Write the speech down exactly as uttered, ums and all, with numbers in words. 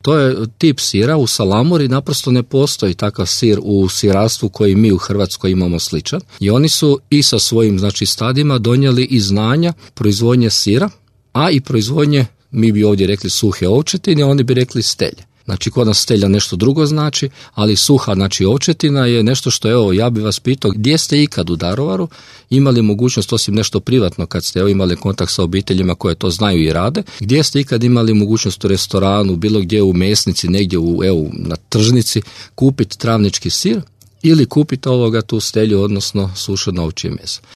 To je tip sira, u salamuri naprosto ne postoji takav sir u sirarstvu koji mi u Hrvatskoj imamo sličan i oni su i sa svojim znači stadima donijeli i znanja proizvodnje sira, a i proizvodnje, mi bi ovdje rekli suhe ovčetine, oni bi rekli stelje. Znači, kod nas stelja nešto drugo znači, ali suha, znači ovčetina je nešto što, evo, ja bi vas pitao, gdje ste ikad u Daruvaru imali mogućnost, osim nešto privatno, kad ste evo, imali kontakt sa obiteljima koje to znaju i rade, gdje ste ikad imali mogućnost u restoranu, bilo gdje u mesnici, negdje u, evo, na tržnici, kupiti travnički sir ili kupiti ovoga tu stelju, odnosno sušeno ovčje meso.